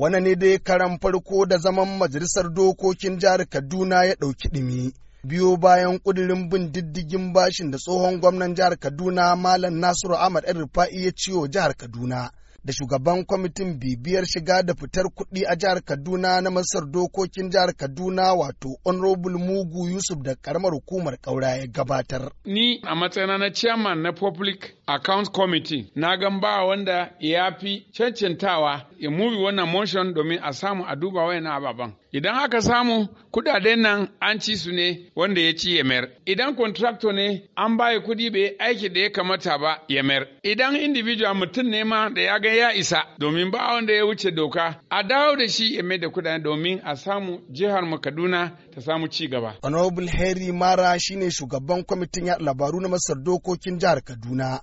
Wannan ne dai karan farko da zaman majalisar dokokin jihar Kaduna ya ɗauki ɗumi. Biyo bayan ƙudurin bin diddigin bashin da tsohon gwamnan jihar Kaduna Malam Nasiru Ahmad El Rufa'i ya ciyo jihar Kaduna. Da shugaban kwamitin bibiyar shiga da fitar kuɗi a jihar Kaduna na Masar dokokin jihar Kaduna wato Honorable Mugu Yusuf da karamar hukumar Kaura ya gabatar. Ni a matsayina na chairman na Public Account Committee na gan ba wanda ya fi cancantawa ya move wannan motion domin a samu a duba wayannan ababen. Idan aka samu kudaden nan an ci su ne wanda ya ci ya mayar. Idan contractor ne an bayi kudi bai aiki da ya kamata ba ya mayar. Idan individual mutum ne ma da ya ga ya isa domin ba wanda ya wuce doka a dawo da shi ya mai da kudaden domin a samu jihar mu Kaduna ta samu ci gaba. Honorable Harry Mara shine shugaban kwamitin yaɗa labaru na Masar dokokin jihar Kaduna.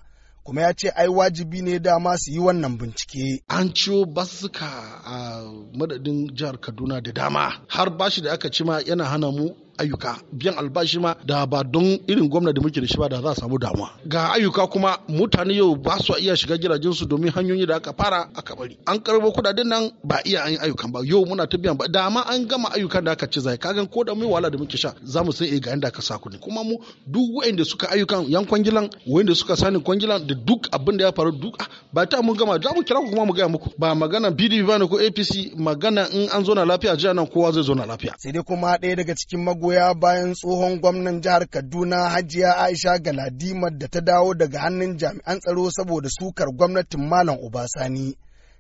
Kuma ya ce ai wajibi ne dama su yi wannan bincike. An ciwo basussuka a madadin jihar Kaduna da dama har bashi da aka ci ma yana hana mu ayyuka biyan albashi ma da ba don irin gwamna da muke da shi ba da za a samu damuwa. Ga ayyuka kuma mutane yau ba su iya shiga gidajensu domin hanyoyi da aka fara aka bari. An karbo kudaden nan ba iya an yi ayyukan ba yau muna ta biyan ba da ma an gama ayyukan da aka ci zai kagan ko da mu wahala da muke sha za mu san eh ga inda aka sa kuɗi kuma mu duk waɗanda suka ayyukan yan kwangilan waɗanda suka sani kwangilan da duk abin da ya faru duk ba ta mun gama za mu kira ku kuma mu gaya muku ba magana PDP ba ne ko APC magana in an zo na lafiya jiya nan kowa zai zo na lafiya. Sai dai kuma ɗaya daga cikin magoya bayan tsohon gwamnan jihar Kaduna Hajiya Aisha Galadima da ta dawo daga hannun jami'an tsaro saboda sukar gwamnatin Malam Obasani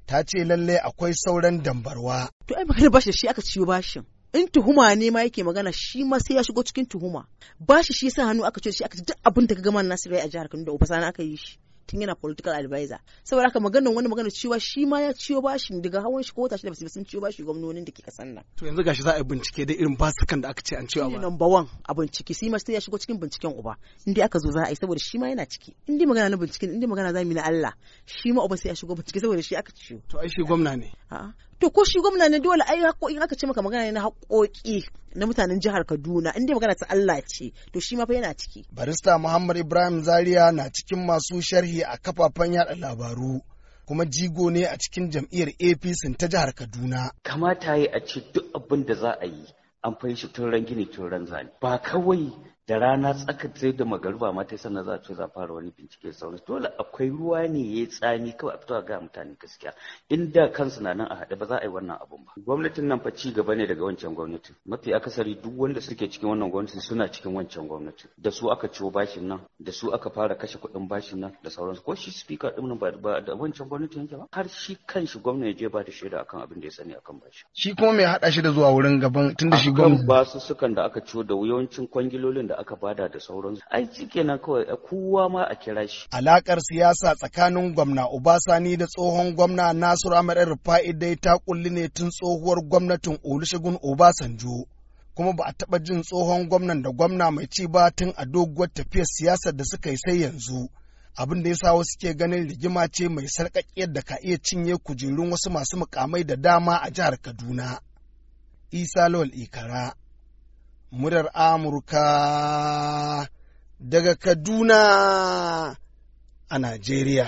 ta ce lalle akwai sauran dambarwa. To ai magana bashi shi aka ciyo bashin. In tuhuma ne ma yake magana shi ma sai ya shigo cikin tuhuma. Bashi shi sa hannu aka ce shi aka ci duk abin da ka gama Nasiru a jihar Kaduna da Obasani aka yi shi. Tun yana political advisor saboda haka maganar wani magana cewa shi ma ya ciyo bashin daga hawan shi ko wata shida basu sun ciyo bashi gwamnonin da ke kasan nan. To yanzu gashi za a yi bincike da irin basukan da aka ce an ciyo ba. Number one a bincike shi ma sai ya shigo cikin binciken uba in dai aka zo za a yi saboda shi ma yana ciki in dai magana na binciken in dai magana za mu yi na Allah shi ma uba sai ya shigo bincike saboda shi aka ciyo. To ai shi gwamna ne. A'a to ko shi gwamna ne dole ai haƙoƙi aka ce maka magana ne na haƙoƙi na mutanen jihar Kaduna in dai magana ta Allah ce to shi ma fa yana ciki. Barista Muhammad Ibrahim Zaria na cikin masu sharhi a kafafen yada labaru kuma jigo ne a cikin jam'iyyar APC ta jihar Kaduna. Kamata yi a ce duk abin da za a yi an fahimci tun ran gini tun ran zane ba kawai da rana tsaka sai da magariba ma tai sannan za a ce za a fara wani bincike sauransu dole akwai ruwa ne ya tsami kawai a fito a ga mutane gaskiya inda kansu na nan a haɗe ba za a yi wannan abun ba. Gwamnatin nan fa ci gaba ne daga wancan gwamnatin mafi akasari duk wanda suke cikin wannan gwamnatin suna cikin wancan gwamnatin da su aka ciwo bashin nan da su aka fara kashe kuɗin bashin nan da sauransu ko shi speaker ɗin nan ba da wancan gwamnatin yake ba har shi kanshi gwamna ya je ba da shaida akan abin da ya sani akan bashi. Shi kuma mai haɗa shi da zuwa wurin gaban tunda shi gwamna. Akan basussukan da aka ciwo da yawancin kwangilolin da aka bada da sauransu ai kenan kawai kowa ma a kira shi. Alakar siyasa tsakanin gwamna Obasani da tsohon gwamna Nasiru Ahmed Rufa'i dai ta kulli ne tun tsohuwar gwamnatin Olusegun Obasanjo. Kuma ba a taɓa jin tsohon gwamnan da gwamna mai ci ba tun a doguwar tafiyar siyasar da suka yi sai yanzu. Abin da ya sa wasu ke ganin rigima ce mai sarƙaƙiyar da ka iya cinye kujerun wasu masu mukamai da dama a jihar Kaduna. Isa Lawal Ikara, murar Amurka daga Kaduna a Najeriya.